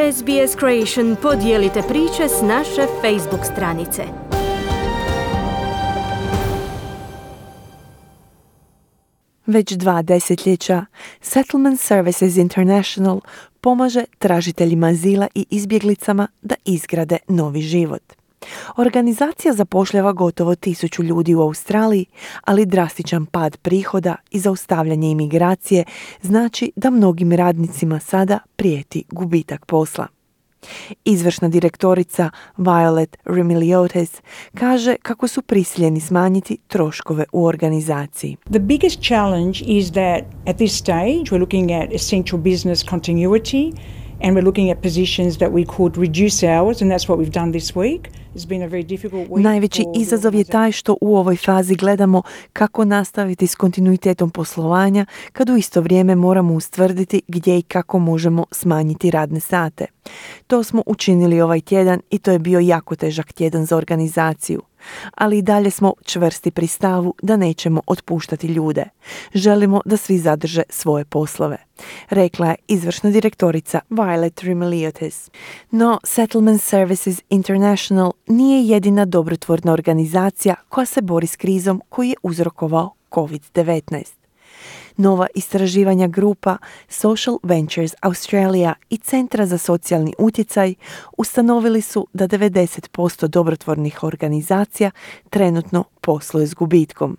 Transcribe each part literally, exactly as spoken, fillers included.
S B S Creation podijelite priče s naše Facebook stranice. Već dva desetljeća Settlement Services International pomaže tražiteljima azila i izbjeglicama da izgrade novi život. Organizacija zapošljava gotovo tisuću ljudi u Australiji, ali drastičan pad prihoda i zaustavljanje imigracije znači da mnogim radnicima sada prijeti gubitak posla. Izvršna direktorica Violet Remiliotis kaže kako su prisiljeni smanjiti troškove u organizaciji. The biggest challenge is that at this stage we're looking at essential business continuity and we're looking at positions that we could reduce hours, and that's what we've done this week. It's been a very difficult week. Najveći izazov je taj što u ovoj fazi gledamo kako nastaviti s kontinuitetom poslovanja, kad u isto vrijeme moramo ustvrditi gdje i kako možemo smanjiti radne sate. To smo učinili ovaj tjedan i to je bio jako težak tjedan za organizaciju. Ali i dalje smo čvrsti pri stavu da nećemo otpuštati ljude. Želimo da svi zadrže svoje poslove, rekla je izvršna direktorica Violet Remiliotis. No, Settlement Services International nije jedina dobrotvorna organizacija koja se bori s krizom koju je uzrokovao covid devetnaest. Nova istraživanja grupa Social Ventures Australia i Centra za socijalni utjecaj ustanovili su da devedeset posto dobrotvornih organizacija trenutno posluje s gubitkom.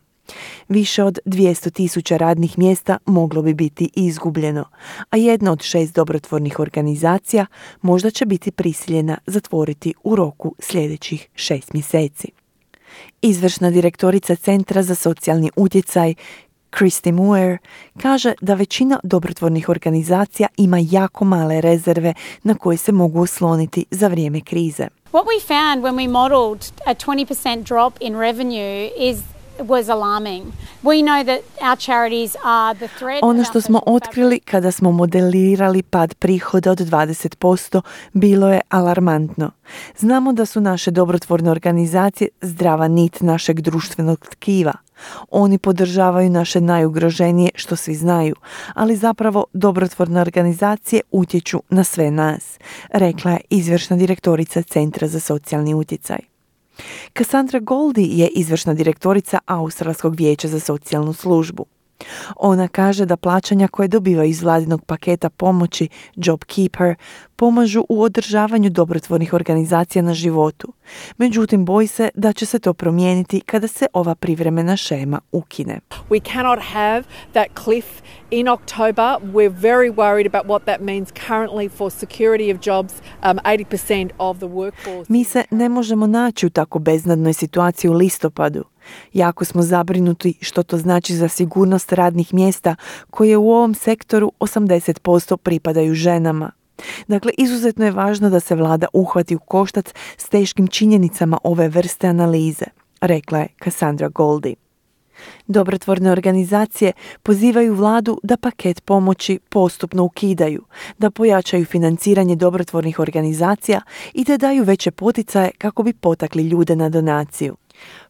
Više od dvjesto tisuća radnih mjesta moglo bi biti izgubljeno, a jedna od šest dobrotvornih organizacija možda će biti prisiljena zatvoriti u roku sljedećih šest mjeseci. Izvršna direktorica Centra za socijalni utjecaj Christy Moore kaže da većina dobrotvornih organizacija ima jako male rezerve na koje se mogu osloniti za vrijeme krize. What we found when we modelled a twenty percent drop in revenue is was alarming. We know that our charities are the thread. Ono što smo otkrili kada smo modelirali pad prihoda od dvadeset posto bilo je alarmantno. Znamo da su naše dobrotvorne organizacije zdrava nit našeg društvenog tkiva. Oni podržavaju naše najugroženije, što svi znaju, ali zapravo dobrotvorne organizacije utječu na sve nas, rekla je izvršna direktorica Centra za socijalni utjecaj. Cassandra Goldie je izvršna direktorica Australskog vijeća za socijalnu službu. Ona kaže da plaćanja koje dobivaju iz vladinog paketa pomoći JobKeeper pomažu u održavanju dobrotvornih organizacija na životu. Međutim, boji se da će se to promijeniti kada se ova privremena šema ukine. We cannot have that cliff in October. We're very worried about what that means currently for security of jobs, um, eighty percent of the workforce. Mi se ne možemo naći u tako beznadnoj situaciji u listopadu. Jako smo zabrinuti što to znači za sigurnost radnih mjesta koje u ovom sektoru osamdeset posto pripadaju ženama. Dakle, izuzetno je važno da se vlada uhvati u koštac s teškim činjenicama ove vrste analize, rekla je Cassandra Goldie. Dobrotvorne organizacije pozivaju vladu da paket pomoći postupno ukidaju, da pojačaju financiranje dobrotvornih organizacija i da daju veće poticaje kako bi potakli ljude na donaciju.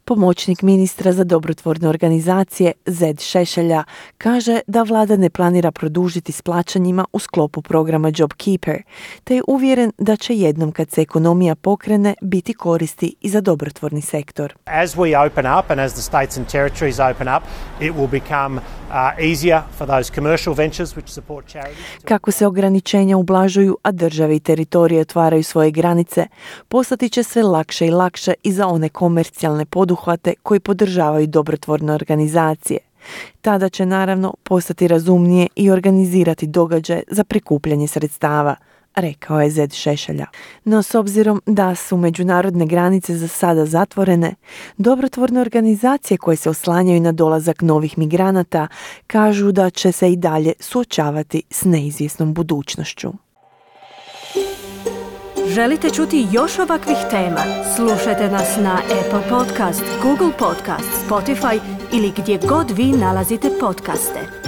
Pomoćnik ministra za dobrotvorne organizacije Zed Šešelja kaže da vlada ne planira produžiti s plaćanjima u sklopu programa JobKeeper, te je uvjeren da će jednom kad se ekonomija pokrene biti koristi i za dobrotvorni sektor. As we open up and as the states and territories open up, it will become uh, easier for those commercial ventures which support charities. Kako se ograničenja ublažuju, a države i teritorije otvaraju svoje granice, postati će sve lakše i lakše i za one komercijalne poduhvate koji podržavaju dobrotvorne organizacije. Tada će naravno postati razumnije i organizirati događaje za prikupljanje sredstava, rekao je Zed Šešelja. No s obzirom da su međunarodne granice za sada zatvorene, dobrotvorne organizacije koje se oslanjaju na dolazak novih migranata kažu da će se i dalje suočavati s neizvjesnom budućnošću. Želite čuti još ovakvih tema? Slušajte nas na Apple Podcast, Google Podcast, Spotify ili gdje god vi nalazite podcaste.